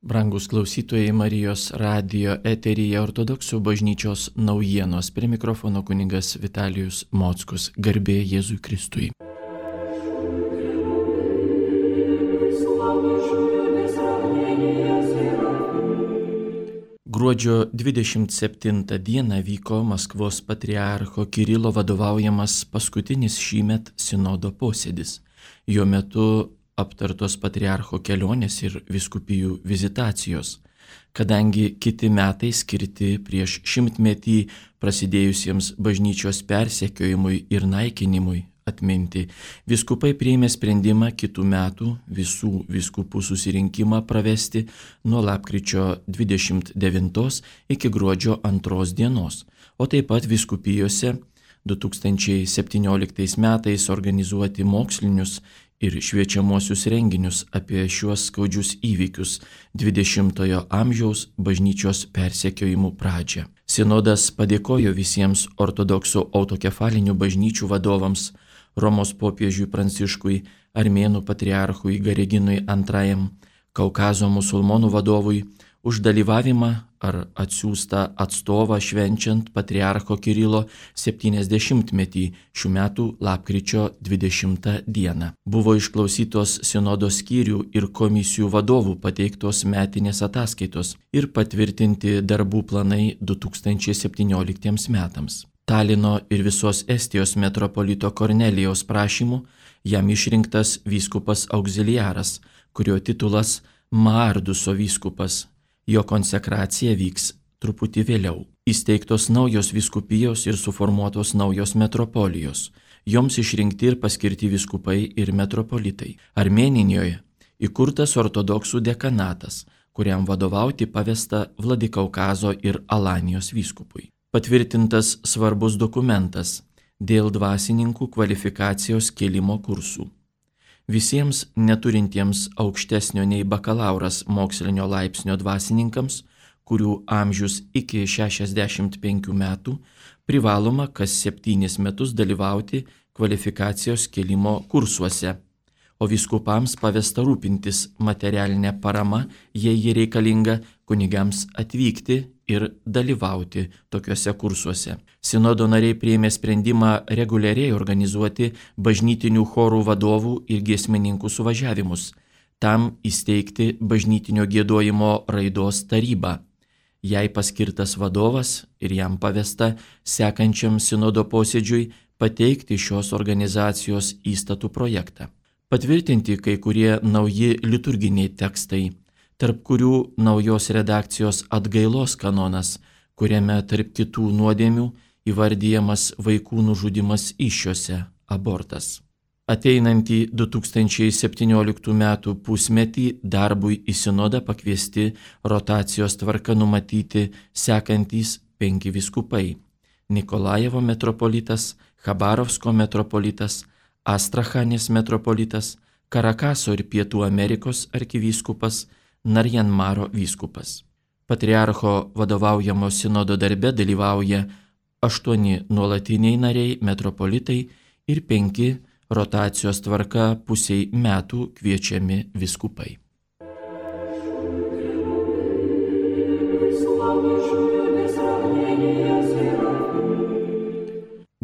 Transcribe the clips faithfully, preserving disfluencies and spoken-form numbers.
Brangus klausytojai, Marijos radijo eteryje Ortodoksų bažnyčios naujienos. Prie mikrofono kunigas Vitalijus Mockus. Garbė Jėzui Kristui. Gruodžio dvidešimt septintą dieną vyko Maskvos patriarcho Kirilo vadovaujamas paskutinis šįmet sinodo posėdis. Jo metu aptartos patriarcho kelionės ir vyskupijų vizitacijos, kadangi kiti metai skirti prieš šimtmetį prasidėjusiems bažnyčios persekiojimui ir naikinimui atminti, vyskupai priėmė sprendimą kitų metų visų vyskupų susirinkimą pravesti nuo lapkričio dvidešimt devintos iki gruodžio antros dienos, o taip pat vyskupijose du tūkstančiai septynioliktais metais organizuoti mokslinius ir šviečiamuosius renginius apie šiuos skaudžius įvykius dvidešimtojo amžiaus bažnyčios persekiojimų pradžią. Sinodas padėkojo visiems ortodoksų autokefalinių bažnyčių vadovams, Romos popiežiui Pranciškui, Armėnų patriarchui Gareginui antrajam, Kaukazo musulmonų vadovui už dalyvavimą ar atsiųstą atstovą švenčiant patriarcho Kirilo septyniasdešimtmetį šių metų lapkričio dvidešimtą dieną. Buvo išklausytos sinodo skyrių ir komisijų vadovų pateiktos metinės ataskaitos ir patvirtinti darbų planai du tūkstančiai septynioliktiems metams. Talino ir visos Estijos metropolito Kornelijaus prašymu jam išrinktas vyskupas auxiliaras, kurio titulas Maarduso vyskupas. Jo konsekracija vyks truputį vėliau. Įsteigtos naujos vyskupijos ir suformuotos naujos metropolijos. Joms išrinkti ir paskirti vyskupai ir metropolitai. Armėnijoje įkurtas ortodoksų dekanatas, kuriam vadovauti pavesta Vladikaukazo ir Alanijos vyskupui. Patvirtintas svarbus dokumentas dėl dvasininkų kvalifikacijos kėlimo kursų. Visiems neturintiems aukštesnio nei bakalauras mokslinio laipsnio dvasininkams, kurių amžius iki šešiasdešimt penkių metų, privaloma kas septynis metus dalyvauti kvalifikacijos kėlimo kursuose, o vyskupams pavesta rūpintis materialinę paramą, jei ji reikalinga, kunigams atvykti ir dalyvauti tokiuose kursuose. Sinodo nariai priėmė sprendimą reguliariai organizuoti bažnytinių chorų vadovų ir giesmininkų suvažiavimus, tam įsteigti bažnytinio giedojimo raidos tarybą. Jai paskirtas vadovas ir jam pavesta sekančiam sinodo posėdžiui pateikti šios organizacijos įstatų projektą. Patvirtinti kai kurie nauji liturginiai tekstai, tarp kurių naujos redakcijos atgailos kanonas, kuriame tarp kitų nuodėmių įvardyjamas vaikų nužudymas įsčiose, abortas. Ateinantį du tūkstančiai septynioliktų metų pusmetį darbui į sinodą pakviesti rotacijos tvarka numatyti sekantys penki vyskupai: Nikolajevo metropolitas, Chabarovsko metropolitas, Astrachanės metropolitas, Karakaso ir Pietų Amerikos arkivyskupas, Narjanmaro vyskupas. Patriarcho vadovaujamo sinodo darbe dalyvauja aštuoni nuolatiniai nariai metropolitai ir penki rotacijos tvarka pusiai metų kviečiami vyskupai.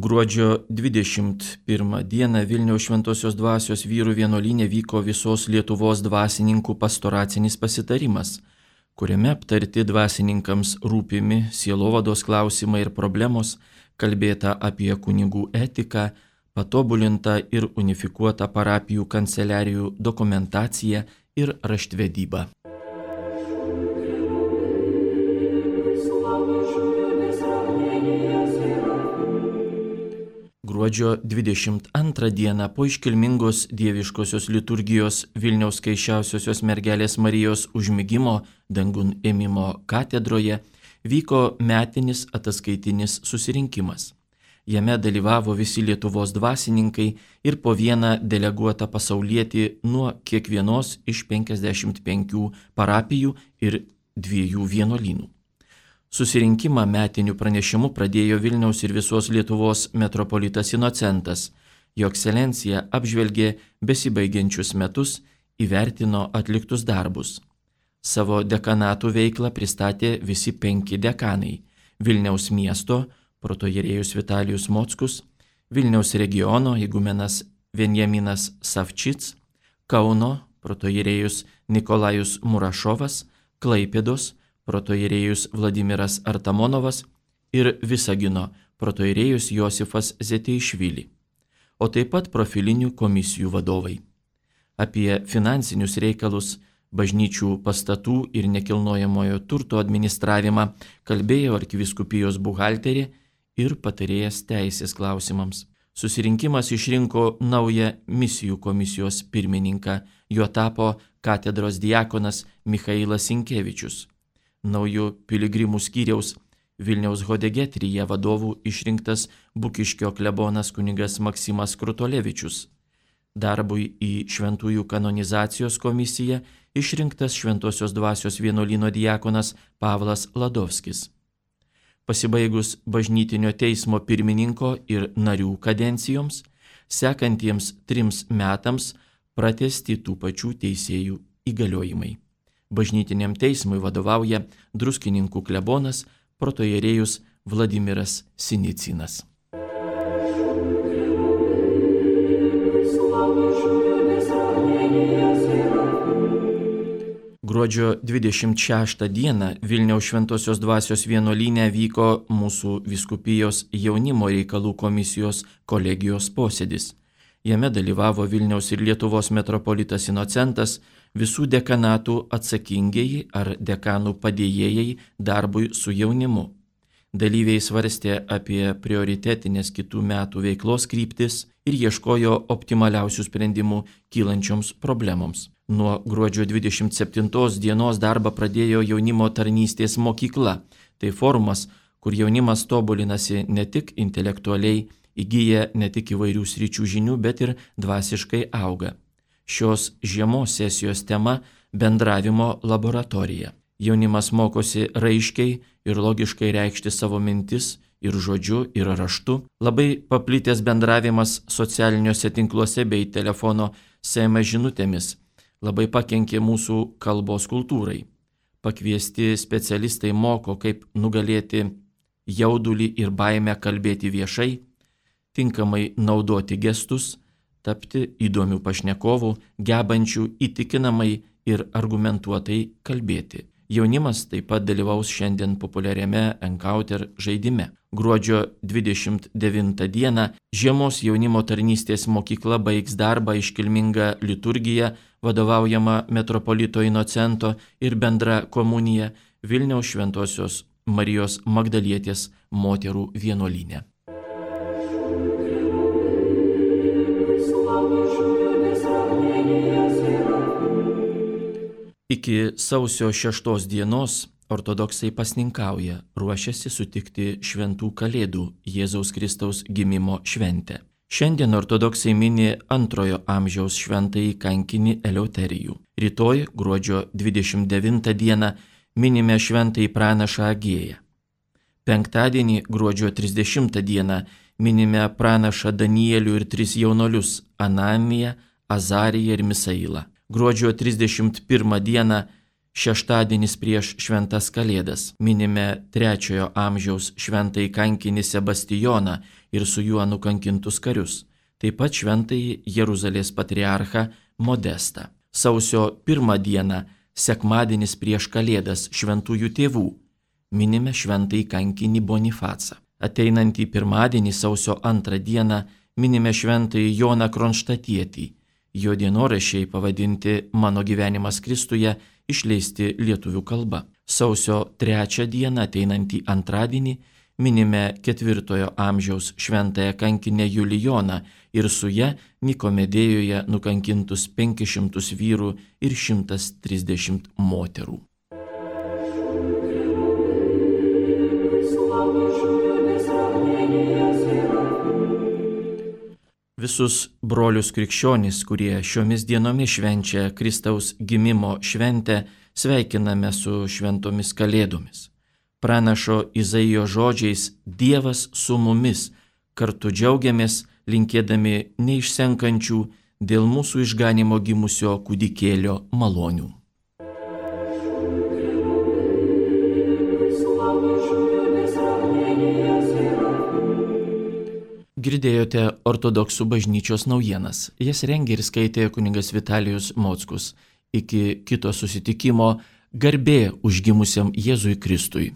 Gruodžio dvidešimt pirmą dieną Vilniaus Šventosios Dvasios vyrų vienuolyne vyko visos Lietuvos dvasininkų pastoracinis pasitarimas, kuriame aptarti dvasininkams rūpimi sielovados klausimai ir problemos, kalbėta apie kunigų etiką, patobulintą ir unifikuotą parapijų kanceliarijų dokumentaciją ir raštvedybą. Gruodžio dvidešimt antrą dieną po iškilmingos dieviškosios liturgijos Vilniaus Skaisčiausiosios mergelės Marijos užmigimo dangun ėmimo katedroje vyko metinis ataskaitinis susirinkimas. Jame dalyvavo visi Lietuvos dvasininkai ir po vieną deleguotą pasaulietį nuo kiekvienos iš penkiasdešimt penkių parapijų ir dviejų vienuolynų. Susirinkimą metinių pranešimų pradėjo Vilniaus ir visos Lietuvos metropolitas Inocentas. Jo ekscelencija apžvelgė besibaigiančius metus, įvertino atliktus darbus. Savo dekanatų veiklą pristatė visi penki dekanai – Vilniaus miesto protoierėjus Vitalijus Mockus, Vilniaus regiono igumenas Venjaminas Savčits, Kauno protoierėjus Nikolajus Murašovas, Klaipėdos protoierėjus Vladimiras Artamonovas ir Visagino protoierėjus Josifas Zeteišvili, o taip pat profilinių komisijų vadovai. Apie finansinius reikalus, bažnyčių pastatų ir nekilnojamojo turto administravimą kalbėjo arkivyskupijos buhalterė ir patarėjas teisės klausimams. Susirinkimas išrinko naują misijų komisijos pirmininką, juo tapo katedros diakonas Michailas Sinkevičius. Naujų piligrimų skyriaus Vilniaus Hodegetrija vadovų išrinktas Bukiškio klebonas kunigas Maksimas Krutolevičius. Darbui į šventųjų kanonizacijos komisiją išrinktas Šventosios dvasios vienuolyno diakonas Pavlas Ladovskis. Pasibaigus bažnytinio teismo pirmininko ir narių kadencijoms, sekantiems trims metams pratęsti tų pačių teisėjų įgaliojimai. Bažnytiniam teismui vadovauja Druskininkų klebonas protoierėjus Vladimiras Sinicinas. Gruodžio dvidešimt šeštą dieną Vilniaus Šventosios dvasios vienuolyne vyko mūsų vyskupijos jaunimo reikalų komisijos kolegijos posėdis. Jame dalyvavo Vilniaus ir Lietuvos metropolitas Inocentas, visų dekanatų atsakingieji ar dekanų padėjėjai darbui su jaunimu. Dalyviai svarstė apie prioritetinės kitų metų veiklos kryptis ir ieškojo optimaliausių sprendimų kylančioms problemoms. Nuo gruodžio dvidešimt septintos dienos darbą pradėjo jaunimo tarnystės mokykla. Tai forumas, kur jaunimas tobulinasi ne tik intelektualiai, įgyja ne tik įvairių sričių žinių, bet ir dvasiškai auga. Šios žiemos sesijos tema – bendravimo laboratorija. Jaunimas mokosi raiškiai ir logiškai reikšti savo mintis ir žodžiu, ir raštu. Labai paplitęs bendravimas socialiniuose tinkluose bei telefono S M S žinutėmis labai pakenkė mūsų kalbos kultūrai. Pakviesti specialistai moko, kaip nugalėti jaudulį ir baimę kalbėti viešai, tinkamai naudoti gestus, tapti įdomių pašnekovų, gebančių įtikinamai ir argumentuotai kalbėti. Jaunimas taip pat dalyvaus šiandien populiariame Encounter žaidime. Gruodžio dvidešimt devintą dieną žiemos jaunimo tarnystės mokykla baigs darbą iškilmingą liturgiją, vadovaujama metropolito Inocento ir bendra komunija Vilniaus Šventosios Marijos Magdalietės moterų vienuolyne. Iki sausio šeštos dienos ortodoksai pasninkauja, ruošiasi sutikti šventų kalėdų Jėzaus Kristaus gimimo šventę. Šiandien ortodoksai mini antrojo amžiaus šventąjį kankinį Eleuterijų. Rytoj, gruodžio dvidešimt devintą dieną, minime šventąjį pranašą Agėją. Penktadienį, gruodžio trisdešimtą dieną, minime pranašą Danielių ir tris jaunolius – Ananiją, Azariją ir Misailą. Gruodžio trisdešimt pirmą dieną, šeštadienis prieš šventas kalėdas, minime trečiojo amžiaus šventąjį kankinį Sebastijoną ir su juo nukankintus karius, taip pat šventąjį Jeruzalės patriarchą Modestą. Sausio pirmą dieną, sekmadienis prieš kalėdas šventųjų tėvų, minime šventąjį kankinį Bonifacą. Ateinantį pirmadienį, sausio antrą dieną, minime šventąjį Joną Kronštatietį. Jo dienoraščiai pavadinti Mano gyvenimas Kristuje, išleisti lietuvių kalba. Sausio trečią dieną, ateinantį antradienį, minime ketvirtojo amžiaus šventąją kankinę Julijoną ir su ja Nikomedėjoje nukankintus penkis šimtus vyrų ir šimtas trisdešimt moterų. Visus brolius krikščionis, kurie šiomis dienomis švenčia Kristaus gimimo šventę, sveikiname su šventomis kalėdomis. Pranašo Izaijo žodžiais Dievas su mumis, kartu džiaugiamės, linkėdami neišsenkančių dėl mūsų išganimo gimusio kūdikėlio malonių. Girdėjote ortodoksų bažnyčios naujienas. Jas rengė ir skaitė kunigas Vitalijus Mockus. Iki kito susitikimo, garbė užgimusiam Jėzui Kristui.